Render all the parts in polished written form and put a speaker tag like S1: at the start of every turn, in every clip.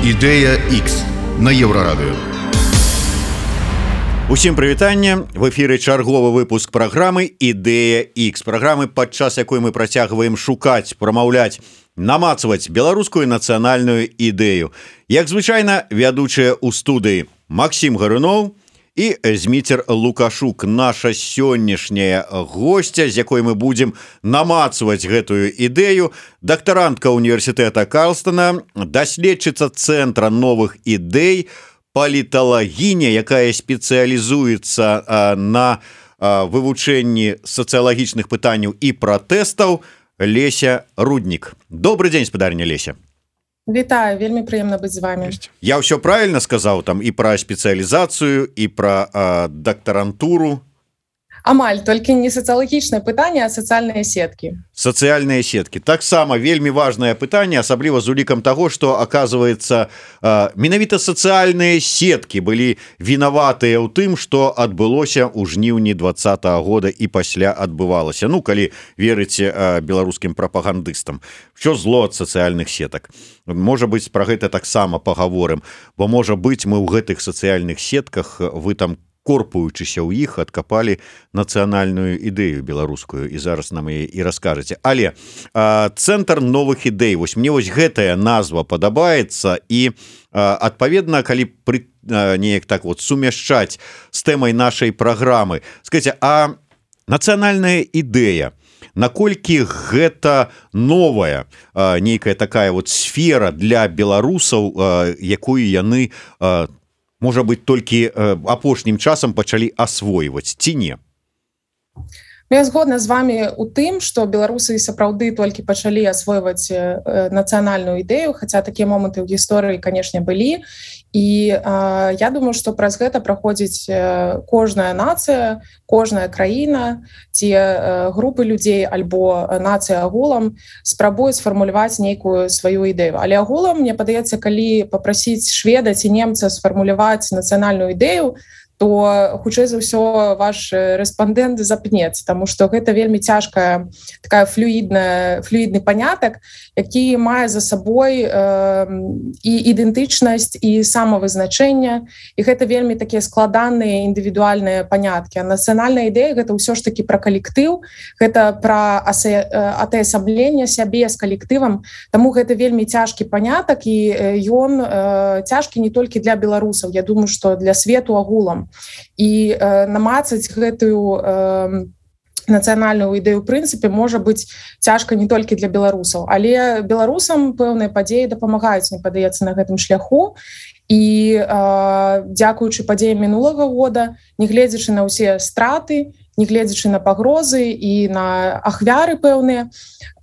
S1: Ідэя X на Еўрарадыё.
S2: Усім прывітанне. В эфіры чарговы выпуск праграмы «Ідэя X». Праграмы, падчас якой мы працягваем шукаць, прамаўляць, намацваць беларускую нацыянальную ідэю. Як звычайна, вядучыя ў студыі Максім Гаруноў і Зміцер Лукашук, наша сённяшняя госця, з якой мы будзем намацваць гэтую ідэю, дактарантка універсітэта Карлстона, даследчыца Цэнтра новых ідэй, паліталагіня, якая спецыялізуецца на вывучэнні сацыялагічных пытанняў і пратэстаў, Леся Руднік. Добрый дзень, спадарня Леся.
S3: Вітаю, вельмі прыемна быць з вами.
S2: Я ўсё правильно сказаў там і пра спецыялізацыю, і пра дактарантуру?
S3: Амаль, толькі не сацыялагічнае пытанне, а сацыяльныя сеткі.
S2: Сацыяльныя сеткі. Таксама вельмі важнае пытанне, асабліва з улікам таго, што, аказваецца, менавіта сацыяльныя сеткі былі вінаватыя ў тым, што адбылося ў жніўні 2020 года і пасля адбывалася. Ну, калі верыце беларускім прапагандыстам. Що зло ад сацыяльных сетак? Можа быць, пра гэта таксама пагаворым, бо, можа быць, мы ў гэтых сацыяльных сетках, вы там корпуючыся ў іх, адкапалі нацыянальную ідэю беларускую, і зараз нам яе і раскажаце. Але Цэнтр новых ідэй, вось мне вось гэтая назва падабаецца, і адпаведна, калі неяк так вот сумяшчаць з тэмай нашай праграмы, скажіце, а нацыянальная ідэя, наколькі гэта новая нейкая такая вот сфера для беларусаў, якую яны можа быць, толькі апошнім часам пачалі асвойваць, ці не?
S3: Я згодна з вами у тым, што беларусы сапраўды толькі пачалі асвойваць нацыянальную ідэю, хаця такія моманты ў гісторыі, канешне, былі. І я думаю, што праз гэта праходзіць кожная нацыя, кожная краіна, ці групы людзей альбо нацыя агулам спрабуюць сфармуляваць нейкую сваю ідэю. Але агулам, мне падаецца, калі папрасіць шведа ці немца сфармуляваць нацыянальную ідэю, то хутчэй за ўсё ваш рэспандэнт запнецца, таму што гэта вельмі цяжкая такая флюідны панятак, які мае за сабой і ідэнтычнасць, і самавызначэнне, і гэта вельмі такія складаныя індывідуальныя паняткі. А нацыянальная ідэя гэта ўсё ж такі пра калектыў, гэта пра атаясабленне сябе з калектывам, таму гэта вельмі цяжкі панятак, і ён цяжкі не толькі для беларусаў, я думаю, што для свету агулам. І намацаць гэтую нацыянальную ідэю ў прынцыпе можа быць цяжка не толькі для беларусаў, але беларусам пэўныя падзеі дапамагаюць, мне падаецца, на гэтым шляху. І дзякуючы падзеям мінулага года, нягледзячы на ўсе страты, нягледзячы на пагрозы і на ахвяры пэўныя,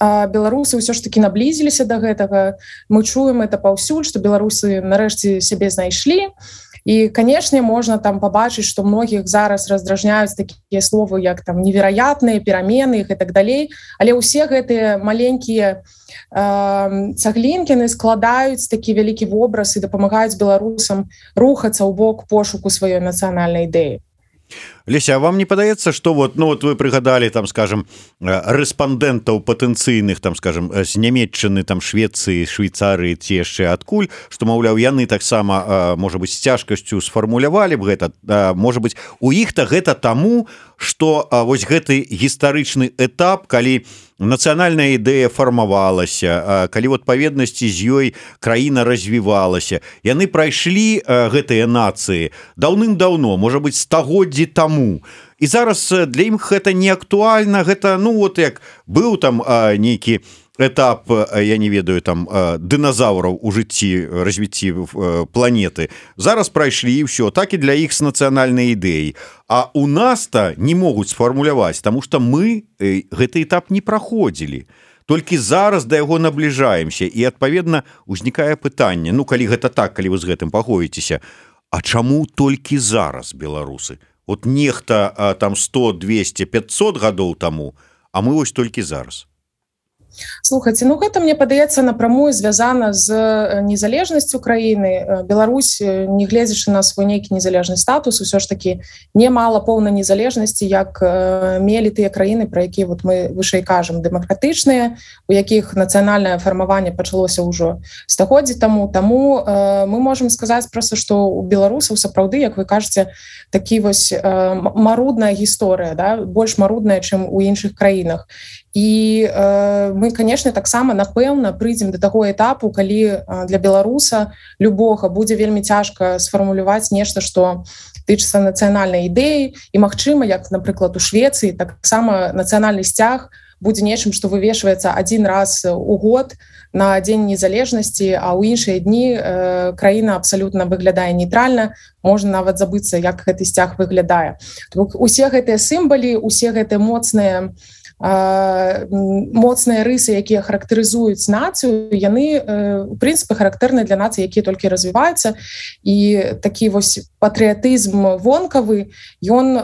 S3: беларусы ўсё ж такі наблізіліся да гэтага. Мы чуем это паўсюль, што беларусы нарэшце сябе знайшлі. І, канешне, можна там пабачыць, што многіх зараз раздражняюць такія словы, як там невероятныя перамены і так далей. Але ўсе гэтыя маленькія цаглінкіны складаюць такі вялікі вобраз і дапамагаюць беларусам рухацца ў бок пошуку сваёй нацыянальнай ідэі.
S2: Леся, а вам не падаецца, што вот, ну, вот вы прыгадалі, там, скажем, рэспандэнтаў патэнцыйных, там, скажем, з Нямецчыны, там, Швецыі, Швейцарыі, ці яшчэ адкуль, што, маўляў, яны таксама, можа быць, з цяжкасцю сфармулявалі б гэта, можа быць, у іх-то гэта таму, што вось гэты гістарычны этап, калі нацыянальная ідэя фармавалася, калі ў адпаведнасці з ёй краіна развівалася, яны прайшлі гэтыя нацыі даўным-даўно, можа быць, стагоддзі таму. І зараз для ім гэта не актуальна, гэта, ну, вот як быў там нейкі этап, я не ведаю, там, дыназаўраў у жыцці, развіцці планеты. Зараз прайшлі і ўсё, так і для іх з нацыянальнай ідэяй. А у нас-то не могуць сфармуляваць, таму што мы гэты этап не праходзілі. Толькі зараз да яго набліжаемся, і, адпаведна, узнікае пытанне, ну, калі гэта так, калі вы з гэтым пагодзіцеся, а чаму толькі зараз беларусы? От нехта там 100, 200, 500 гадоў таму, а мы вось толькі зараз.
S3: Слухайте, ну гэта, мне падаецца, напрамую звязана з незалежнасцю краіны. Беларусь, не гледзячы на свой нейкі незалежны статус, усё ж такі не мала поўнай незалежнасці, як мелі тыя краіны, пра якія вот мы вышэй кажам, дэмакратычныя, у якіх нацыянальнае фармаванне пачалося ўжо стагоддзі таму. Таму мы можам сказаць проста, што у беларусаў сапраўды, як вы кажаце, такі вось марудная гісторыя, да? Больш марудная, чым у іншых краінах. І мы, канешне, таксама, напэўна, прыйдзем да таго этапу, калі для беларуса любога будзе вельмі цяжка сфармуляваць нешта, што тычыцца нацыянальнай ідэі, і, магчыма, як, напрыклад, у Швецыі, таксама нацыянальны сцяг будзе нечым, што вывешваецца адзін раз у год на Дзень незалежнасці, а ў іншыя дні краіна абсалютна выглядае нейтральна, можна нават забыцца, як гэты сцяг выглядае. Усе гэтыя сімвалы, усе гэтыя моцныя рысы, якія характарызуюць нацыю, яны, у прынцыпе, характэрныя для нацый, якія толькі развіваюцца. І такі вось патрыятызм вонкавы, ён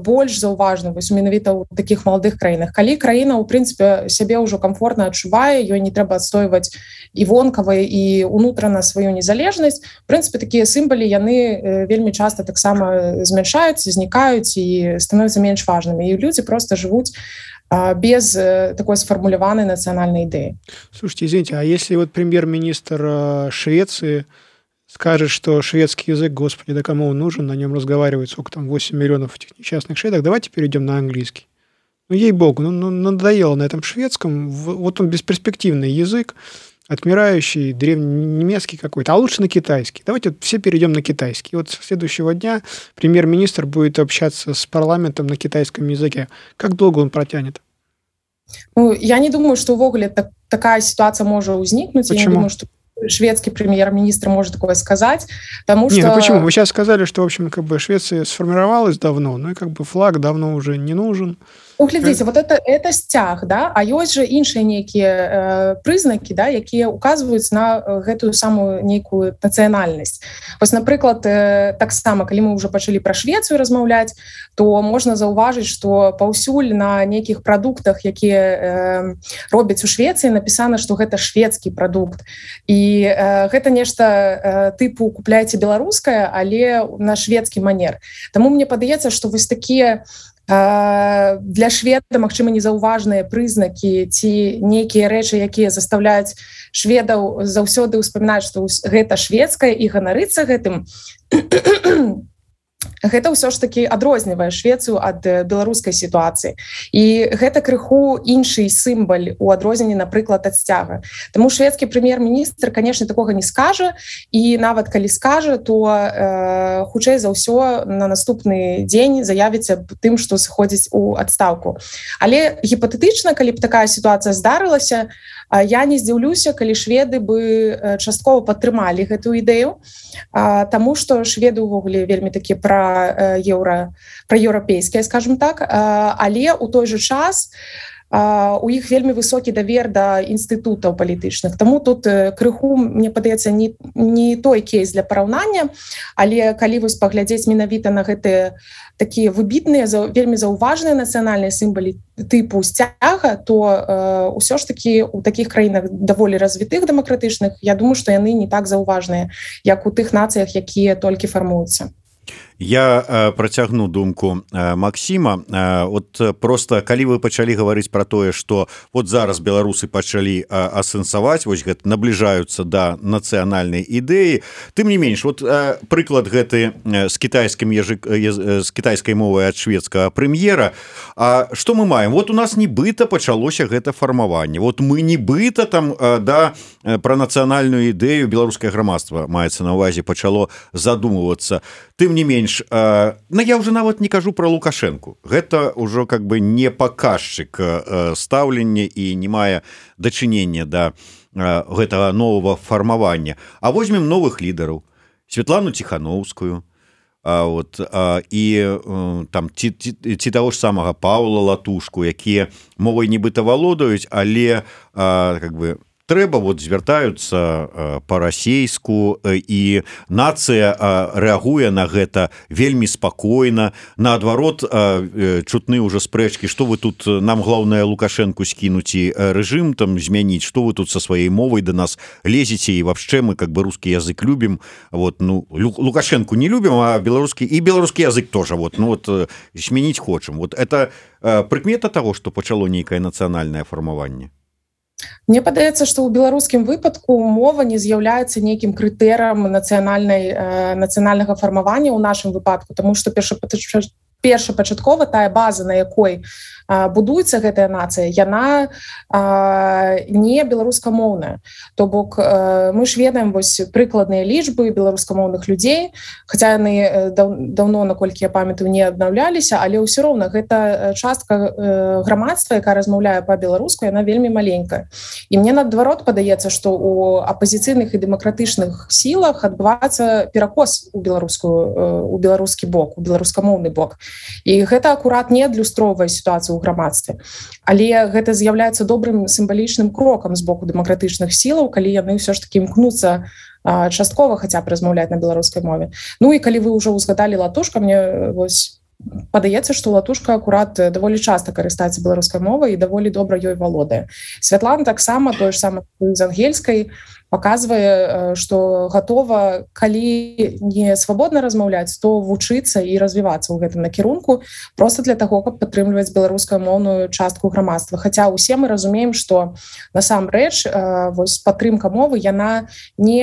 S3: больш заўважны вось менавіта ў такіх маладых краінах. Калі краіна, у прынцыпе, сябе ўжо комфортна адчувае, ёй не трэба адстойваць і вонкава, і унутрана сваю незалежнасць, у прынцыпе, такія сімвалы, яны вельмі часта таксама змяншаюцца, знікаюць і становяцца менш важнымі. І людзі проста жывуць без такой сформулированной национальной идеи.
S4: Слушайте, извините, а если вот премьер-министр Швеции скажет, что шведский язык, господи, да кому он нужен, на нем разговаривает, сколько там, 8 миллионов этих несчастных шведок, давайте перейдем на английский. Ну, ей-богу, ну надоело на этом шведском, вот он бесперспективный язык, отмирающий, древненемецкий какой-то, а лучше на китайский. Давайте все перейдем на китайский. Вот с следующего дня премьер-министр будет общаться с парламентом на китайском языке. Как долго он протянет?
S3: Ну, я не думаю, что увогуле такая ситуация может возникнуть.
S4: Почему?
S3: Я не думаю, что шведский премьер-министр может такое сказать, потому что...
S4: Не, ну почему? Вы сейчас сказали, что, в общем, как бы Швеция сформировалась давно, ну и как бы флаг давно уже не нужен.
S3: Ну, глядзіце, вот это сцяг, да? А ёсць жа іншыя нейкія прызнакі, да, якія указваюць на гэтую самую нейкую нацыянальнасць. Вось, напрыклад, таксама, калі мы ўжо пачалі пра Швецыю размаўляць, то можна заўважыць, што паўсюль на нейкіх прадуктах, якія робяць у Швецыі, напісана, што гэта шведскі прадукт. І гэта нешта тыпу купляйце беларускае, але на шведскі манер. Таму мне падаецца, што вось такія для шведа, магчыма, незаўважныя прызнакі ці нейкія рэчы, якія заставляюць шведаў заўсёды ўспамінаць, што гэта шведскае і ганарыцца гэтым, гэта ўсё ж такі адрознівае Швецыю ад беларускай сітуацыі. І гэта крыху іншы сімвал у адрозненні, напрыклад, ад сцяга. Таму шведскі прэм'ер-міністр, канешне, такога не скажа, і нават калі скажа, то хутчэй за ўсё на наступны дзень заявіцца тым, што сыходзіць у адстаўку. Але гіпатэтычна, калі б такая сітуацыя здарылася, я не здзіўлюся, калі шведы бы часткова падтрымалі гэтую ідэю, таму што шведы ўвогуле вельмі такі праеўрапейскія, скажем так, але ў той жа час у іх вельмі высокі давер да інстытутаў палітычных. Таму тут крыху, мне падаецца, не той кейс для параўнання, але калі вось паглядзець менавіта на гэтыя такія выбітныя, вельмі заўважныя нацыянальныя сімвалы тыпу сцяга, то ўсё ж такі у такіх краінах даволі развітых дэмакратычных, я думаю, што яны не так заўважныя, як у тых нацыях, якія толькі фармуюцца.
S2: Я працягну думку Максіма. Вот просто калі вы пачалі гаварыць пра тое, што вот зараз беларусы пачалі асэнсаваць, вось гэта набліжаюцца да нацыянальнай ідэі, тым не менш, вот прыклад гэты з кітайскай мовай ад шведскага прэм'ера. А што мы маем? Вот у нас нібыта пачалося гэта фармаванне. Вот мы нібыта там пра нацыянальную ідэю беларускае грамадства, маецца на ўвазе, пачало задумвацца. Тым не менш, ну я уже нават не кажу про Лукашенко. Гэта ўжо как бы не паказчык стаўлення і не мае дачынення да гэтага новага фармавання. А возьмем новых лідараў, Светлану Ціхановскую, і там ці таго ж самага Паўла Латушку, якія мовай нібыта валодаюць, але как бы трэба вот звяртаюцца па-расейску, і нацыя рэагуе на гэта вельмі спакойна. Наадварот, чутны ўжо спрэчкі, што вы тут, нам главное Лукашенку скінуць і рэжым там змяніць, што вы тут со сваёй мовай да нас лезеце, і вообще мы как бы русский язык любім. Вот, ну, Лукашенку не любім, а беларускі язык тоже вот, ну вот змяніць хочам. Вот это прыкмета таго, што пачало нейкае нацыянальнае фармаванне.
S3: Мне падаецца, што ў беларускім выпадку мова не з'яўляецца нейкім крытэрам нацыянальнага фармавання ў нашым выпадку, таму што першапачаткова тая база, на якой будуецца гэтая нацыя, яна не беларускамоўная. То бок мы ж ведаем вось прыкладныя лічбы беларускамоўных людзей, хаця яны даўно, наколькі я памятаю, не аднаўляліся, але ўсё роўна гэта частка грамадства, якая размаўляе па-беларуску, яна вельмі маленькая. І мне наадварот падаецца, што ў апазіцыйных і дэмакратычных сілах адбываецца перакос у беларускі бок, у беларускамоўны бок. І гэта акурат не адлюстроўвае сітуацыю ў грамадстве. Але гэта з'яўляецца добрым сімвалічным крокам з боку дэмакратычных сілаў, калі яны ўсё ж такі імкнуцца часткова хаця б размаўляць на беларускай мове. Ну і калі вы ўжо ўзгадалі Латушка, мне вось падаецца, што Латушка акурат даволі часта карыстаецца беларускай мовай і даволі добра ёй валодае. Святлана таксама, тое ж самае з ангельскай, паказвае, што гатова, калі не свабодна размаўляць, то вучыцца і развівацца ў гэтым накірунку проста для таго, каб падтрымліваць беларускамоўную частку грамадства. Хаця ўсе мы разумеем, што насамрэч вось падтрымка мовы, яна не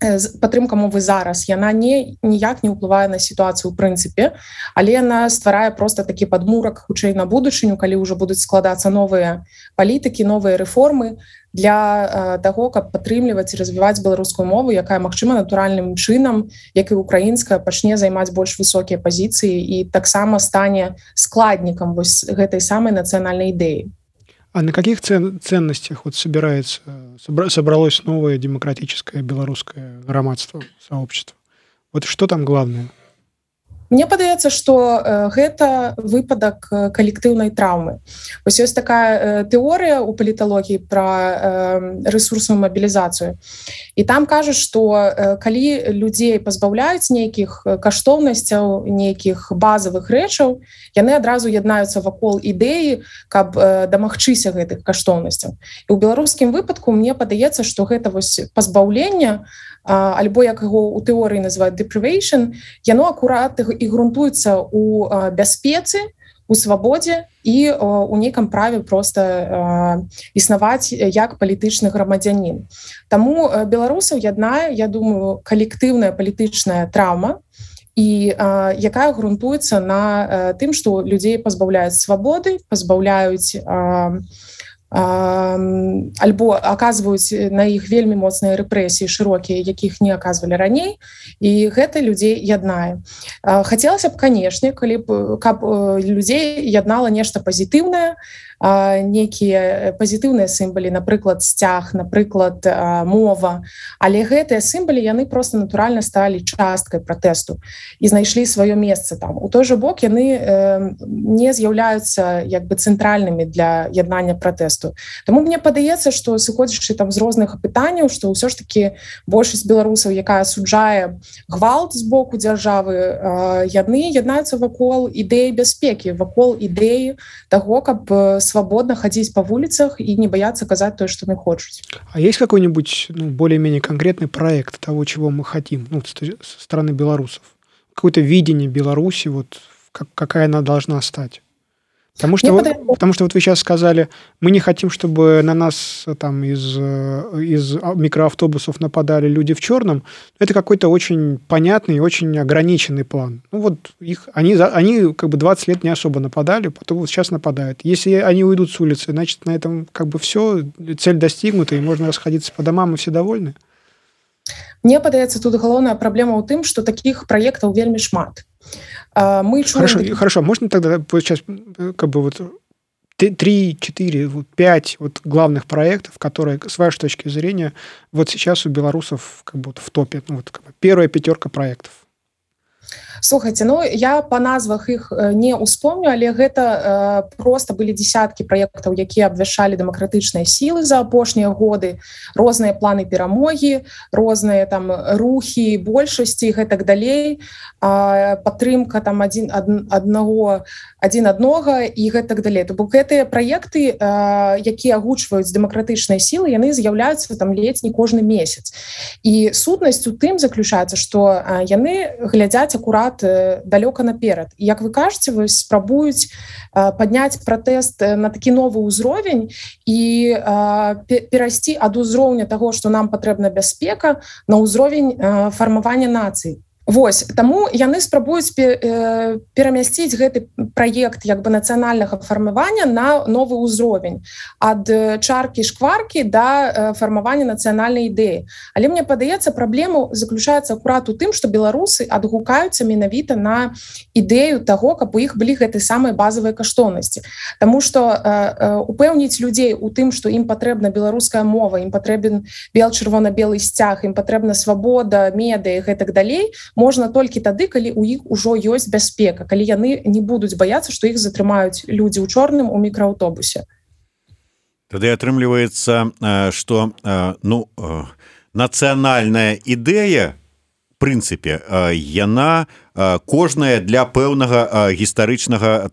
S3: падтрымка мовы зараз, яна ніяк не ўплывае на сітуацыю ў прынцыпе, але яна стварае проста такі падмурак хутчэй на будучыню, калі ўжо будуць складацца новыя палітыкі, новыя рэформы для таго, каб падтрымліваць і развіваць беларускую мову, якая, магчыма, натуральным чынам, як і украінская, пачне займаць больш высокія пазіцыі і таксама стане складнікам вось гэтай самай нацыянальнай ідэі.
S4: А на каких ценностях вот собралось новое демократическое белорусское громадство, сообщество? Вот что там главное?
S3: Мне падаецца, што гэта выпадак калектыўнай траўмы. Вось ёсць такая тэорыя ў паліталогіі пра рэсурсную мабілізацыю. І там кажуць, што калі людзей пазбаўляюць нейкіх каштоўнасцяў, нейкіх базавых рэчаў, яны адразу яднаюцца вакол ідэі, каб дамагчыся гэтых каштоўнасцяў. І ў беларускім выпадку мне падаецца, што гэта вось пазбаўленне, альбо як яго ў тэорыі называюць deprivation, яно акурат і грунтуецца ў бяспецы, у свабодзе і у нейкам праве проста існаваць як палітычны грамадзянін. Таму беларусаў яднае, я думаю, калектыўная палітычная траўма, і якая грунтуецца на тым, што людзей пазбаўляюць свабоды, пазбаўляюць альбо аказваюць на іх вельмі моцныя рэпрэсіі шырокія, якіх не аказвалі раней, і гэта людзей яднае. Хацелася б, канешне, каб людзей яднала нешта пазітыўнае, нейкія пазітыўныя сімвалы, напрыклад, сцяг, напрыклад, мова, але гэтыя сімвалы, яны проста натуральна сталі часткай пратэсту і знайшлі сваё месца там. У той жа бок яны не з'яўляюцца як бы цэнтральнымі для яднання пратэсту. Таму мне падаецца, што сыходзячы там з розных пытанняў, што ўсё ж такі большасць беларусаў, якая асуджае гвалт з боку дзяржавы, яны яднаюцца вакол ідэі бяспекі, вакол ідэі таго, каб свободно ходить по улицах и не бояться казать то, что они хотят.
S4: А есть какой-нибудь более-менее конкретный проект того, чего мы хотим, со стороны белорусов? Какое-то видение Беларуси, вот, какая она должна стать? Потому что вот вы сейчас сказали, мы не хотим, чтобы на нас там из микроавтобусов нападали люди в черном. Это какой-то очень понятный и очень ограниченный план. Ну вот они как бы 20 лет не особо нападали, потом вот сейчас нападают. Если они уйдут с улицы, значит, на этом как бы все, цель достигнута, и можно расходиться по домам, и все довольны?
S3: Мне падаецца, тут галоўная праблема ў тым, што такіх праектаў вельмі шмат.
S4: Хорошо, можно тогда сейчас как бы вот 3, 4, 5 вот главных проектов, которые, с вашей точки зрения, вот сейчас у белорусов как бы вот в топе, ну, вот, как бы первая 5 проектов?
S3: Слухайте, ну я по назвах іх не успомню, але гэта просто былі десяткі праектаў, якія абвяшчалі дэмакратычныя сілы за апошнія годы, розныя планы перамогі, розныя там рухі большасці і гэтак далей, падтрымка там адзін аднаго і гэтак далей. То бок гэтыя праекты, якія агучваюць дэмакратычныя сілы, яны з'яўляюцца там ледзь не кожны месяц. І сутнасць у тым заключаецца, што яны глядзяць акурат далёка наперад. І, як вы кажаце, вось спрабуюць падняць пратэст на такі новы ўзровень і перайсці ад узроўня таго, што нам патрэбна бяспека, на ўзровень фармавання нацый. Вось, таму яны спрабуюць перамясціць гэты праект як бы нацыянальнага фармавання на новы ўзровень ад чаркі-шкваркі да фармавання нацыянальнай ідэі. Але мне падаецца, праблема заключаецца акурат у тым, што беларусы адгукаюцца менавіта на ідэю таго, каб у іх былі гэтыя самыя базавыя каштоўнасці. Таму што упэўніць людзей у тым, што ім патрэбна беларуская мова, ім патрэбен бел-чырвона-белы сцяг, ім патрэбна свабода, медыа і гэтак далей, можна толькі тады, калі ў іх ужо ёсць бяспека, калі яны не будуць баяцца, што іх затрымаюць людзі ў чорным у мікрааўтобусе.
S2: Тады атрымліваецца, што нацыянальная ідэя, в прынцыпе, яна кожная для пэўнага гістарычнага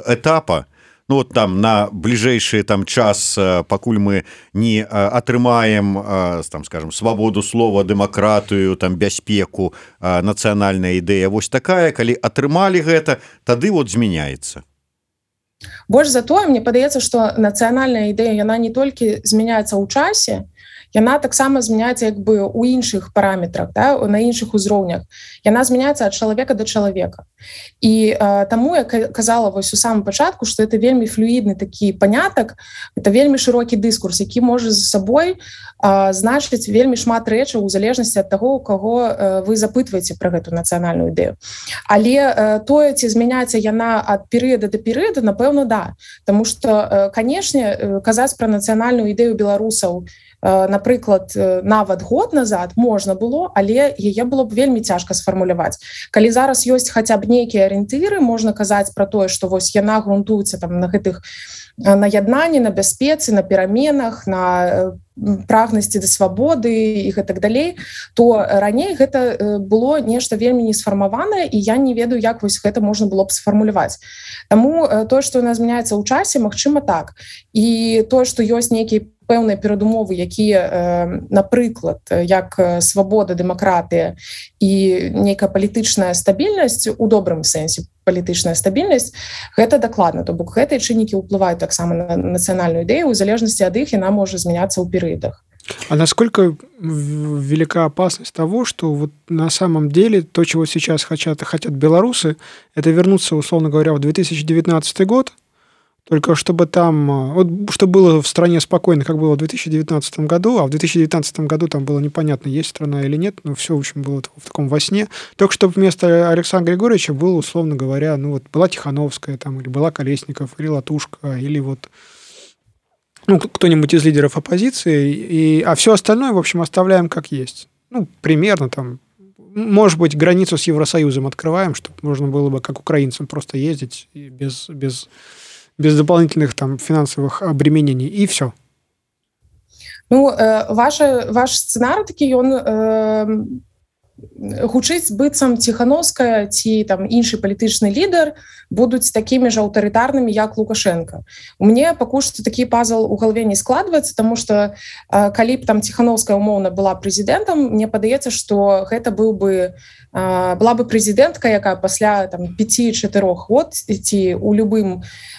S2: этапа. Ну, вот там на бліжэйшы час, пакуль мы не атрымаем, скажем, свабоду слова, дэмакратыю, бяспеку, нацыянальная ідэя вось такая, калі атрымалі гэта, тады вот змяняецца.
S3: Больш за тое, мне падаецца, што нацыянальная ідэя, яна не толькі змяняецца ў часе, яна таксама змяняецца як бы ў іншых параметрах, да, на іншых узроўнях. Яна змяняецца ад чалавека да чалавека. І таму я казала вось у самым пачатку, што это вельмі флюідны такі панятак, это вельмі шырокі дыскурс, які можа за сабой значыць вельмі шмат рэчаў у залежнасці ад таго, у каго вы запытваеце пра гэту нацыянальную ідэю. Але тое, ці змяняецца яна ад перыяда да перыяда, напэўна, да. Таму што, канешне, казаць пра нацыянальную ідэю беларусаў, напрыклад, нават год назад можна было, але яе было б вельмі цяжка сфармуляваць. Калі зараз ёсць хаця б нейкія арыентыры, можна казаць пра тое, што вось яна грунтуецца там на гэтых на яднанні, на бяспецы, на пераменах, на прагнасці да свабоды і гэтак далей, то раней гэта было нешта вельмі не сфармаванае, і я не ведаю, як вось гэта можна было б сфармуляваць. Таму тое, што яна змяняецца ў часе, магчыма так. І тое, што ёсць нейкія пэўныя перадумовы, якія, напрыклад, як свабода, дэмакратыя і нейкая палітычная стабільнасць, у добрым сэнсе палітычная стабільнасць, гэта дакладна. То бок гэтыя чыннікі ўплываюць таксама на нацыянальную ідэю, у залежнасці ад іх яна можа змяняцца ў перыядах.
S4: А насколько велика опасность того, что вот на самом деле то, чего сейчас хотят белорусы, это вернуться, условно говоря, в 2019 год, только чтобы там, вот, чтобы было в стране спокойно, как было в 2019 году, а в 2019 году там было непонятно, есть страна или нет, но все, в общем, было в таком во сне. Только чтобы вместо Александра Григорьевича было, условно говоря, ну вот была Тихановская, там, или была Колесников, или Латушка, или вот кто-нибудь из лидеров оппозиции, а все остальное, в общем, оставляем как есть. Ну, примерно там, может быть, границу с Евросоюзом открываем, чтобы можно было бы, как украинцам, просто ездить без дополнительных там финансовых обременений, и все.
S3: Ну, ваш сценарий такі, ён гучыць быццам Тихановская ці там іншы палітычны лідар будуць такімі ж аўтарытарнымі, як Лукашенко. У мне пакуль што такі пазл у галаве не складваецца, таму што калі б там Тихановская умоўна была прэзідэнтам, мне падаецца, што гэта была бы прэзідэнтка, якая пасля 5-4 год ці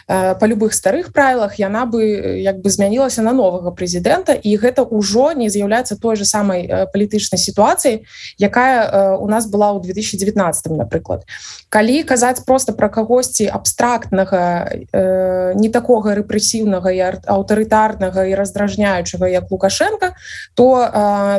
S3: па любых старых правілах яна бы як бы змянілася на новага прэзідэнта, і гэта ўжо не з'яўляецца той же самай палітычнай сітуацыяй, якая у нас была ў 2019, напрыклад. Калі казаць проста пра кагосьці абстрактнага, не такога рэпрэсіўнага і аўтарытарнага і раздражняючага, як Лукашенко, то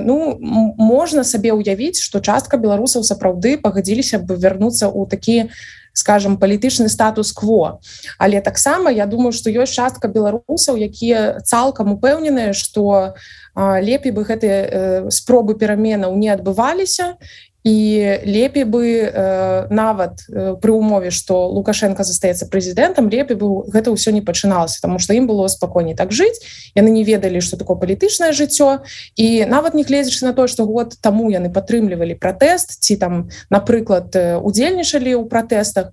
S3: можна сабе ўявіць, што частка беларусаў сапраўды пагадзіліся б вярнуцца ў такі, скажем, палітычны статус-кво. Але таксама я думаю, што ёсць частка беларусаў, якія цалкам упэўненыя, што лепей бы гэтыя спробы пераменаў не адбываліся, і лепей бы нават пры ўмове, што Лукашенко застаецца прэзідэнтам, лепей бы гэта ўсё не пачыналася, таму што ім было спакойней так жыць, яны не ведалі, што такое палітычнае жыццё, і нават не гледзячы на тое, што год таму яны падтрымлівалі пратэст ці там, напрыклад, удзельнічалі ў пратэстах.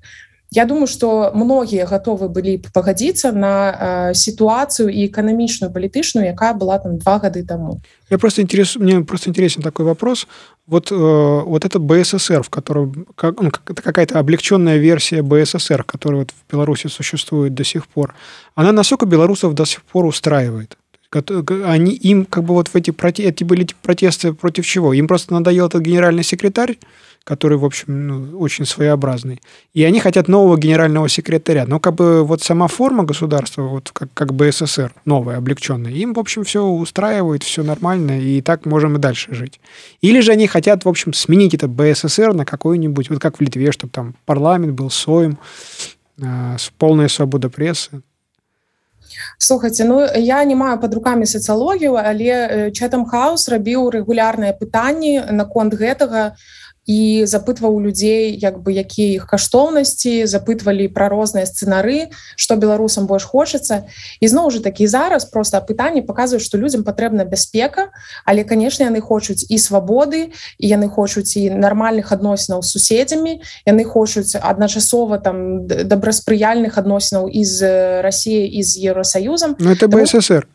S3: Я думаю, што многія гатовы былі б пагадзіцца на сітуацыю і эканамічную, палітычную, якая была там 2 гады таму.
S4: Мне просто интересен такой вопрос. Вот это БССР, в котором это какая-то облегченная версия БССР, которая вот в Беларуси существует до сих пор, она насколько белорусов до сих пор устраивает? Им как бы вот эти были протесты против чего? Им просто надоел этот генеральный секретарь, который, в общем, очень своеобразный. И они хотят нового генерального секретаря. Но как бы вот сама форма государства, вот как БССР, новая, облегченная, им, в общем, все устраивает, все нормально, и так можем и дальше жить. Или же они хотят, в общем, сменить это БССР на какой-нибудь, вот как в Литве, чтобы там парламент был Сойм, полная свобода прессы.
S3: Слухайте, я не маю пад рукамі сацыялогію, але Chatham House рабіў рэгулярныя пытанні наконт гэтага і запытваў людзей, якія іх каштоўнасці, запытвалі пра розныя сцэнары, што беларусам больш хочацца. І зноў жа такі зараз проста апытанні паказваюць, што людзям патрэбна бяспека, але, канешне, яны хочуць і свабоды, і яны хочуць і нармальных адносінаў з суседзямі, яны хочуць адначасова там добраспрыяльных адносінаў і з Расіяй, і з Еўросаюзам.
S4: Ну, это БССР.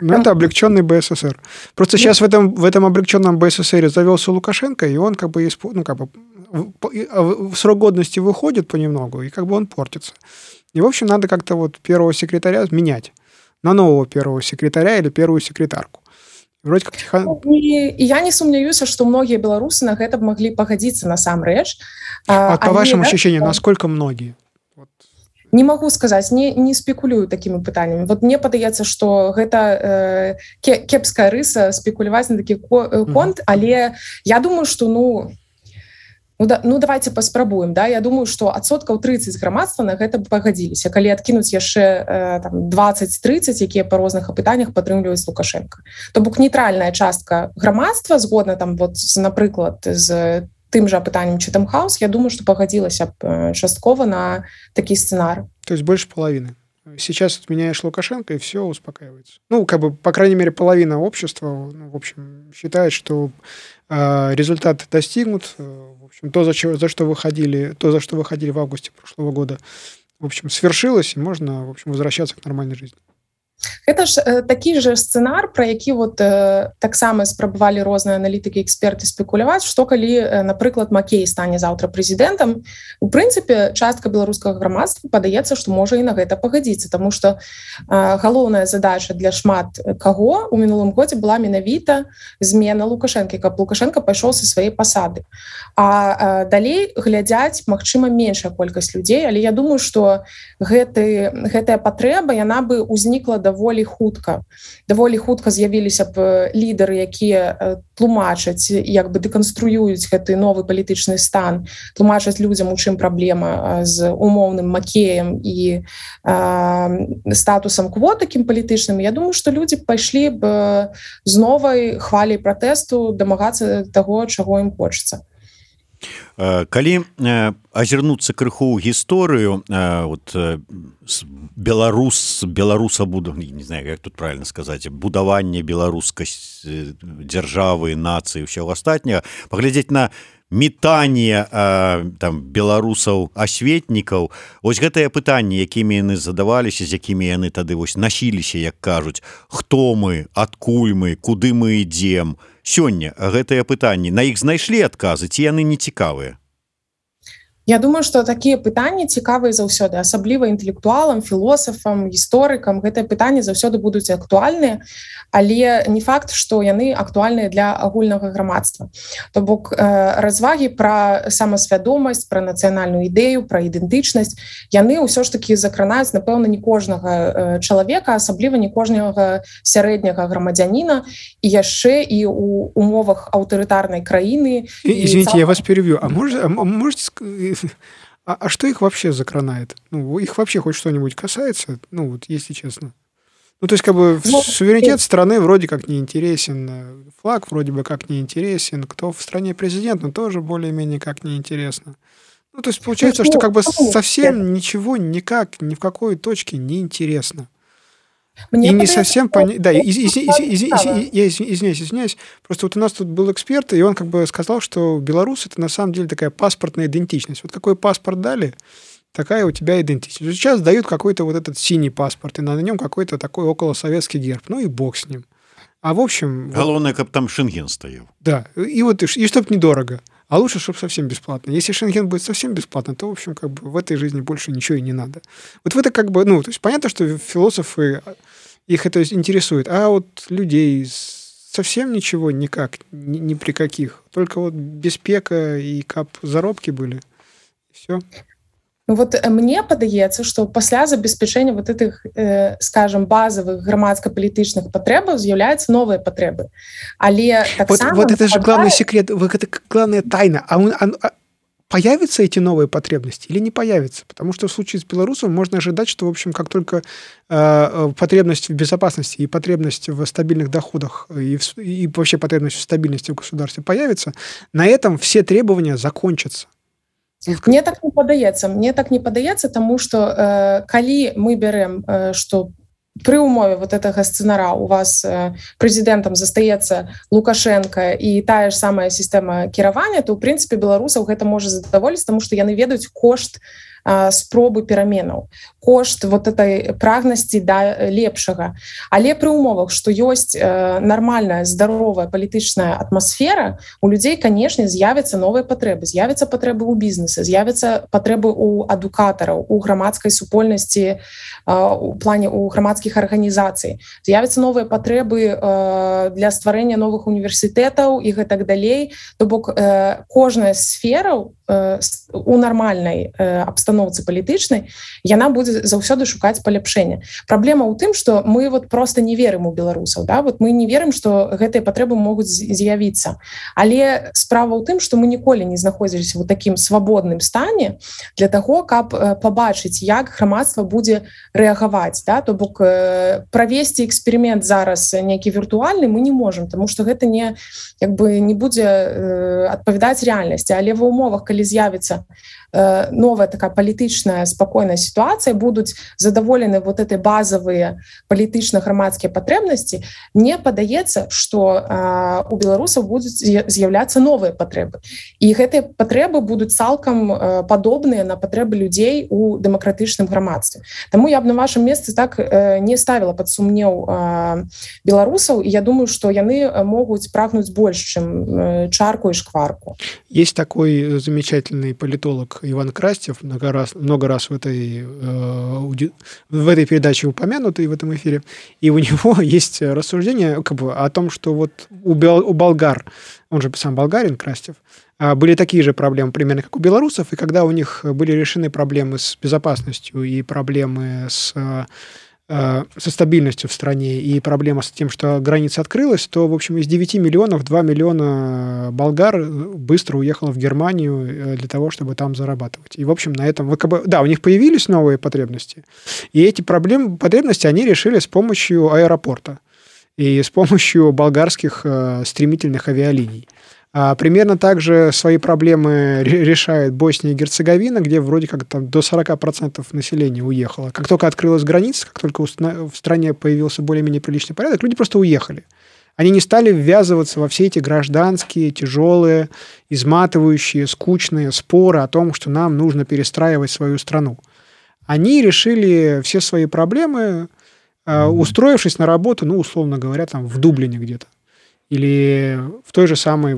S4: Ну, это облегченный БССР. Просто сейчас в этом облегченном БССР завелся Лукашенко, и он в срок годности выходит понемногу, и как бы он портится. И, в общем, надо как-то вот первого секретаря менять на нового первого секретаря или первую секретарку. Вроде как
S3: И я не сумняюся, что многие белорусы на гэта могли пагадзіцца насамрэч.
S4: По вашим ощущениям, насколько многие?
S3: Не могу сказаць, не спекулюю такімі пытаннямі. Вот мне падаецца, што гэта кепская рыса спекуляваць на такі конт, але я думаю, што давайте паспрабуем. Да? Я думаю, што 30% грамадства на гэта пагадзіліся, калі адкінуць яшчэ 20-30, якія па розных апытаннях падтрымліваюць Лукашенко. То бок нейтральная частка грамадства, згодна там, вот, напрыклад, з тым же апытаннем Chatham House, я думаю, что погодилась частково на такие сценары.
S4: То есть больше половины. Сейчас отменяешь Лукашенко, и все успокаивается. Ну, как бы, по крайней мере, половина общества, в общем, считает, что результат достигнут. В общем, за что выходили в августе прошлого года, в общем, свершилось, и можно, в общем, возвращаться к нормальной жизни.
S3: Гэта ж такі же сцэнар, пра які вот таксама спрабавалі розныя аналітыкі, эксперты спекуляваць, што калі, напрыклад, Макей стане заўтра прэзідэнтам, у прынцыпе, частка беларускага грамадства падаецца, што можа і на гэта пагадзіцца, таму што галоўная задача для шмат каго ў мінулым годзе была менавіта змена Лукашэнкі, каб Лукашенко пайшоў са сваёй пасады. А далей глядзяць, магчыма, меншая колькасць людзей, але я думаю, што гэтая патрэба, яна бы ўзнікла даволі хутка з'явіліся б лідары, якія тлумачаць, як бы дэканструююць гэты новы палітычны стан, тлумачаць людзям, у чым праблема з умоўным Макеем і статусам квот такім палітычным. Я думаю, што людзі пайшлі б з новай хваляй пратэсту дамагацца таго, чаго ім хочацца.
S2: Калі азірнуцца крыху ў гісторыю, беларуса буду, не знаю, як тут правильно сказаць, будаванне беларускай дзяржавы, нацыі, ўсяго астатняга, паглядзець на метанне беларусаў-асветнікаў, вось гэтыя пытанні, якімі яны задаваліся, з якімі яны тады насіліся, як кажуць, хто мы, адкуль мы, куды мы ідзем. Сёння гэтыя пытанні, на іх знайшлі адказы, ці яны не цікавыя?
S3: Я думаю, што такія пытанні цікавыя заўсёды, асабліва інтэлектуалам, філосафам, гісторыкам. Гэтыя пытанні заўсёды будуць актуальныя, але не факт, што яны актуальныя для агульнага грамадства. То бок развагі пра самасвядомасць, пра нацыянальную ідэю, пра ідэнтычнасць, яны ўсё ж такі закранаюць, напэўна, не кожнага чалавека, асабліва не кожнага сярэдняга грамадзяніна, і яшчэ і ў умовах аўтарытарнай краіны.
S4: Извините, я вас перебью. А можете... А что их вообще закранает? Ну, их вообще хоть что-нибудь касается? Ну, вот, если честно. Ну, то есть, как бы, суверенитет страны вроде как не интересен, флаг вроде бы как не интересен, кто в стране президент, но тоже более-менее как не интересно. Ну, то есть, получается, что как бы совсем ничего никак, ни в какой точке не интересно.
S3: Мне
S4: и не совсем понятно. Да, я извиняюсь. Просто вот у нас тут был эксперт, и он как бы сказал, что белорус — это на самом деле такая паспортная идентичность. Вот какой паспорт дали, такая у тебя идентичность. Сейчас дают какой-то вот этот синий паспорт, и на нем какой-то такой околосоветский герб. Ну и бог с ним. А в общем...
S2: Главное, как там Шенген стоял.
S4: Да, и чтоб недорого. А лучше, чтобы совсем бесплатно. Если Шенген будет совсем бесплатно, то, в общем, как бы в этой жизни больше ничего и не надо. Вот в это как бы... Ну, то есть понятно, что философы, их это интересует. А вот людей совсем ничего никак, ни при каких. Только вот беспека и кап заробки были. И все.
S3: Вот мне падаецца, што пасля забеспячэння вот этих, скажем, базовых грамадска-палітычных патрэбаў з'яўляюцца новыя патрэбы. Але
S4: вот это же главный секрет, это главная тайна. Появятся эти новые потребности или не появятся? Потому что в случае с белорусом можно ожидать, что, в общем, как только потребность в безопасности и потребность в стабильных доходах и вообще потребность в стабильности в государстве появится, на этом все требования закончатся.
S3: Мне так не падаецца, таму што калі мы бярэм, што пры ўмове вот гэтага сцэнара у вас прэзідэнтам застаецца Лукашенко і тая ж самая сістэма кіравання, то ў прынцыпе беларусаў гэта можа задаволіць, таму што яны ведаюць кошт спробы пераменаў, кошт вот этой прагнасці да лепшага. Але пры ўмовах, што ёсць нармальная, здаровая палітычная атмасфера, у людзей, канешне, з'явяцца новыя патрэбы. З'явяцца патрэбы ў бізнесе, з'явяцца патрэбы ў адукатараў, у грамадскай супольнасці, у плане у грамадскіх арганізацый. З'явяцца новыя патрэбы для стварэння новых універсітэтаў і гэтак далей. То бок кожная сфера у нармальнай абстаноўцы палітычнай, яна будзе заўсёды шукаць паляпшэння. Праблема ў тым, што мы вот просто не верым у беларусаў, да? Вот мы не верым, што гэтыя патрэбы могуць з'явіцца. Але справа ў тым, што мы ніколі не знаходзіліся ў такім свабодным стане для таго, каб пабачыць, як грамадства будзе рэагаваць, да? То бок правесці эксперымент зараз нейкі віртуальны мы не можам, таму што гэта не будзе адпавядаць рэальнасці, але ва ўмовах, калі з'явіцца новая такая палітычная спакойная сітуацыя, будуць задаволены вот этой базовые палітычна-грамадскія патрэбнасці, мне падаецца, што у беларусаў будуць з'яўляцца новыя патрэбы. І гэтыя патрэбы будуць цалкам падобныя на патрэбы людзей у дэмакратычным грамадстве. Таму я б на вашым месцы так не ставіла пад сумнеў беларусаў, і я думаю, што яны могуць прагнуць больш, чым чарку і шкварку.
S4: Есть такой замечательный политолог Иван Крастев, много раз в этой передаче упомянутый в этом эфире, и у него есть рассуждение как бы о том, что вот у болгар, он же сам болгарин, Крастев, были такие же проблемы примерно, как у белорусов, и когда у них были решены проблемы с безопасностью и проблемы со стабильностью в стране и проблема с тем, что граница открылась, то, в общем, из 9 миллионов 2 миллиона болгар быстро уехало в Германию для того, чтобы там зарабатывать. И, в общем, на этом... Да, у них появились новые потребности, и эти потребности они решили с помощью аэропорта и с помощью болгарских стремительных авиалиний. Примерно так же свои проблемы решает Босния и Герцеговина, где вроде как там до 40% населения уехало. Как только открылась граница, как только в стране появился более-менее приличный порядок, люди просто уехали. Они не стали ввязываться во все эти гражданские, тяжелые, изматывающие, скучные споры о том, что нам нужно перестраивать свою страну. Они решили все свои проблемы, устроившись на работу, ну, условно говоря, там в Дублине где-то. Или в той же самой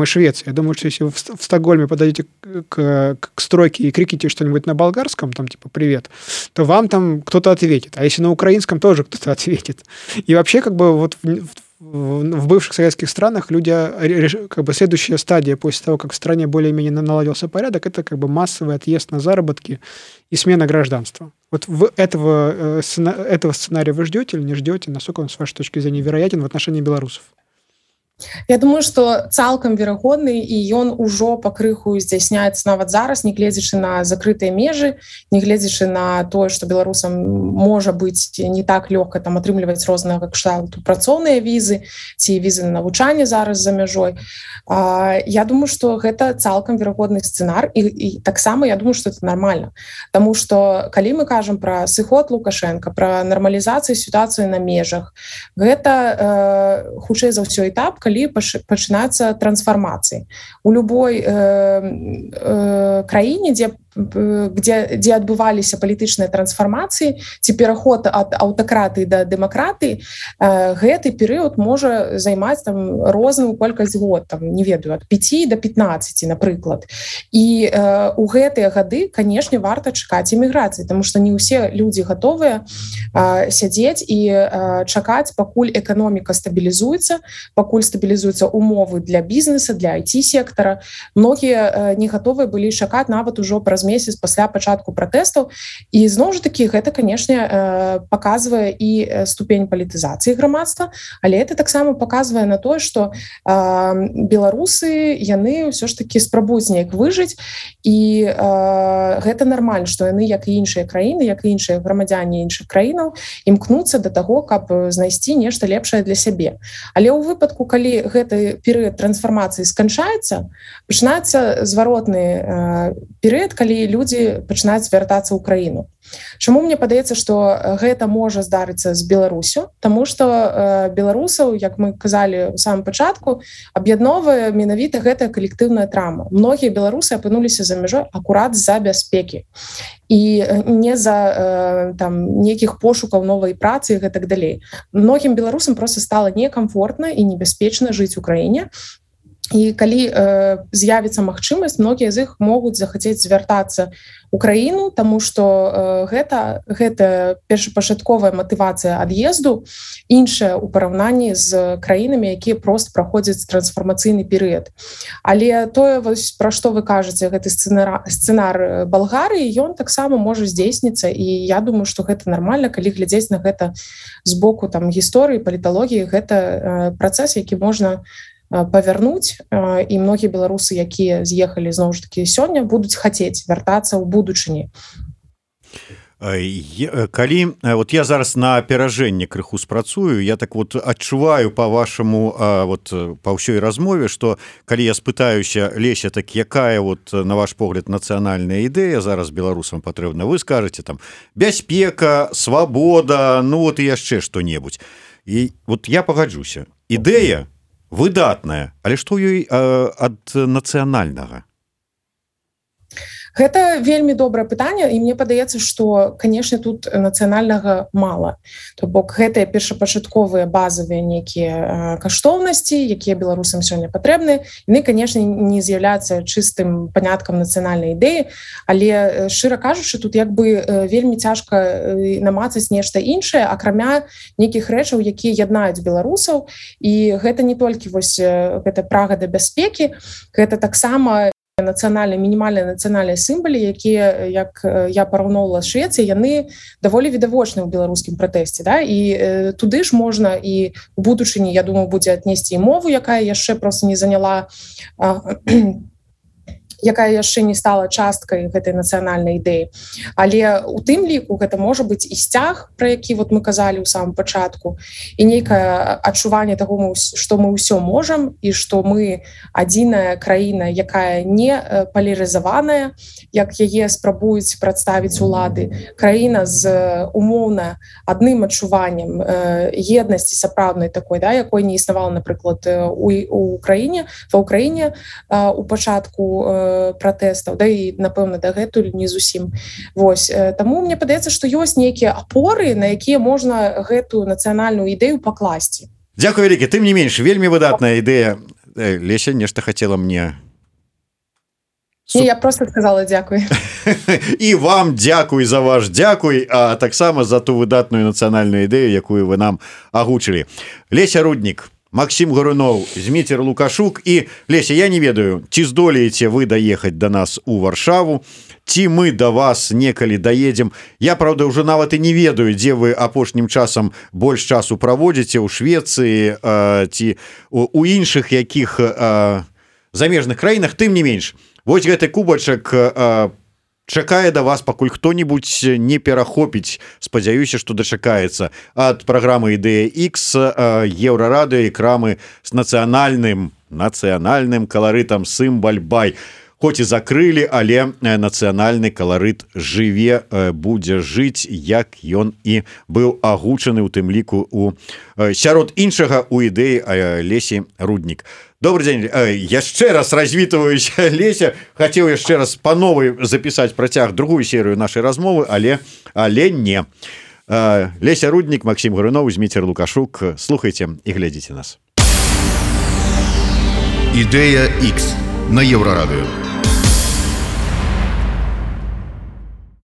S4: Швеции. Я думаю, что если вы в Стокгольме подойдете к стройке и крикните что-нибудь на болгарском, там типа «привет», то вам там кто-то ответит. А если на украинском, тоже кто-то ответит. И вообще как бы вот в бывших советских странах люди, как бы следующая стадия после того, как в стране более-менее наладился порядок, это как бы массовый отъезд на заработки и смена гражданства. Вот этого сценария вы ждете или не ждете? Насколько он, с вашей точки зрения, вероятен в отношении белорусов?
S3: Я думаю, што цалкам верагодны і ён ужо пакрыху здзяйсняецца нават зараз, нягледзячы на закрытыя межы, нягледзячы на тое, што беларусам можа быць не так лёгка там атрымліваць рознага кшталту працоўныя візы ці візы на навучанне зараз за мяжой. Я думаю, што гэта цалкам верагодны сцэнар і таксама я думаю, што это нармальна. Таму што калі мы кажам пра сыход Лукашенка, пра нармалізацыю сітуацыі на межах, гэта хутчэй за ўсё этап, калі пачынацца трансфармацыі. У любой краіне, дзе адбываліся палітычныя трансфармацыі ці пераход ад аўтакратыі да дэмакратыі, гэты перыяд можа займаць там розную колькасць год, там, не ведаю, ад 5 до 15, напрыклад. І у гэтыя гады, канешне, варта чакаць эміграцыі, таму што не ўсе людзі гатовыя сядзець і чакаць, пакуль эканоміка стабілізуецца, пакуль стабілізуюцца умовы для бізнеса, для IT-сектара. Многія не гатовыя былі чакаць нават ужо праз месяц пасля пачатку пратэстаў. І зноў жа такі, гэта, канешне, паказвае і ступень палітызацыі грамадства, але это таксама паказвае на тое, што беларусы, яны ўсё ж такі спрабуюць неяк выжыць, і гэта нармальна, што яны, як і іншыя краіны, як і іншыя грамадзяне іншых краінаў, імкнуцца да таго, каб знайсці нешта лепшае для сябе. Але ў выпадку, калі гэты перыяд трансфармацыі сканчаецца, пачынаецца зваротны перыяд, калі людзі пачынаюць вяртацца ў краіну. Чаму мне падаецца, што гэта можа здарыцца з Беларусю? Таму што беларусаў, як мы казалі ў самым пачатку, аб'ядноўвае менавіта гэтая калектыўная трама. Многія беларусы апынуліся за мяжой акурат з-за бяспекі і не за нейкіх пошукаў новай працы і гэтак далей. Многім беларусам проста стала некамфортна і небяспечна жыць у краіне. І калі з'явіцца магчымасць, многія з іх могуць захацець звяртацца ў краіну, таму што гэта першапачатковая матывацыя ад'езду іншая ў параўнанні з краінамі, якія проста праходзяць трансфармацыйны перыяд. Але тое, пра што вы кажаце, гэты сцэнар Балгарыі, ён таксама можа здзейсніцца, і я думаю, што гэта нармальна, калі глядзець на гэта з боку гісторыі, паліталогіі, гэта працэс, які можна павярнуць, і многія беларусы, якія з'ехалі зноў ж такі сёння, будуць хацець вяртацца ў будучыні.
S2: Калі вот я зараз на аперажэнне крыху спрацую, я так вот адчуваю па вашаму па ўсёй размове, што калі я спытаюся, Леся, так якая вот на ваш погляд нацыянальная ідэя зараз беларусам патрэбна, вы скажаце там бяспека, свабода, ну вот і яшчэ што-небудзь. І вот я пагаджуся. Ідэя выдатная, але што ёй ад нацыянальнага?
S3: Гэта вельмі добрае пытанне, і мне падаецца, што, канешне, тут нацыянальнага мала. То бок гэтыя першапачатковыя базавыя нейкія каштоўнасці, якія беларусам сёння патрэбны, яны, канешне, не з'яўляюцца чыстым паняткам нацыянальнай ідэі, але, шчыра кажучы, тут як бы вельмі цяжка намацаць нешта іншае, акрамя нейкіх рэчаў, якія яднаюць беларусаў, і гэта не толькі вось гэта прага да бяспекі, гэта таксама мінімальныя нацыянальныя сімвалы, якія, як я параўноўвала з Швецыяй, яны даволі відавочны ў беларускім пратэсце. Да? І туды ж можна і ў будучыні, я думаю, будзе аднесці і мову, якая яшчэ проста не заняла, якая яшчэ не стала часткай гэтай нацыянальнай ідэі. Але у тым ліку гэта можа быць і сцяг, пра які вот мы казалі ў самым пачатку, і нейкае адчуванне таго, што мы ўсё можам, і што мы адзіная краіна, якая не палярызаваная, як яе спрабуюць прадставіць улады. Краіна з умоўна адным адчуваннем еднасці сапраўднай такой, да, якой не існавала, напрыклад, у Украіне, ва Ўкраіне у пачатку пратэстаў, да і, напэўна, дагэтуль не зусім. Вось. Таму мне падаецца, што ёсць нейкія апоры, на якія можна гэтую нацыянальную ідэю пакласці.
S2: Дзякуй вялікі, тым не менш, вельмі выдатная ідэя. Леся, нешта хацела мне...
S3: Не, я просто сказала дзякуй.
S2: І вам дзякуй за ваш дзякуй, а таксама за ту выдатную нацыянальную ідэю, якую вы нам агучылі. Леся Руднік, Максим Гаруноў, Зміцер Лукашук. І, Леся, я не ведаю, ці здолееце вы даехаць да нас у Варшаву, ці мы да вас некалі даедзем. Я, правда, ўжо нават і не ведаю, дзе вы апошнім часам больш часу праводзіце, у Швецыі ці у іншых якіх замежных краінах. Тым не менш, вось гэты кубачак чакае да вас, пакуль хто-нибудь не перахопіць, спадзяюся, што дачакаецца ад праграмы «Ідэя X», Еўрарадыё і крамы з нацыянальным каларытам «Сымбаль-бай». Хоць і закрылі, але нацыянальны каларыт жыве, будзе жыць, як ён і быў агучаны, у тым ліку сярод іншага у ідэі Лесі Руднік. Добрый день. Яшчэ раз развітваюся, Леся. Хацеў яшчэ раз па новай запісаць працяг другую серыю нашай размовы, але не. Леся Руднік, Максим Гаруноў, Зміцер Лукашук. Слухайце і глядзіце нас.
S1: «Ідэя X» на Еўрарадыё.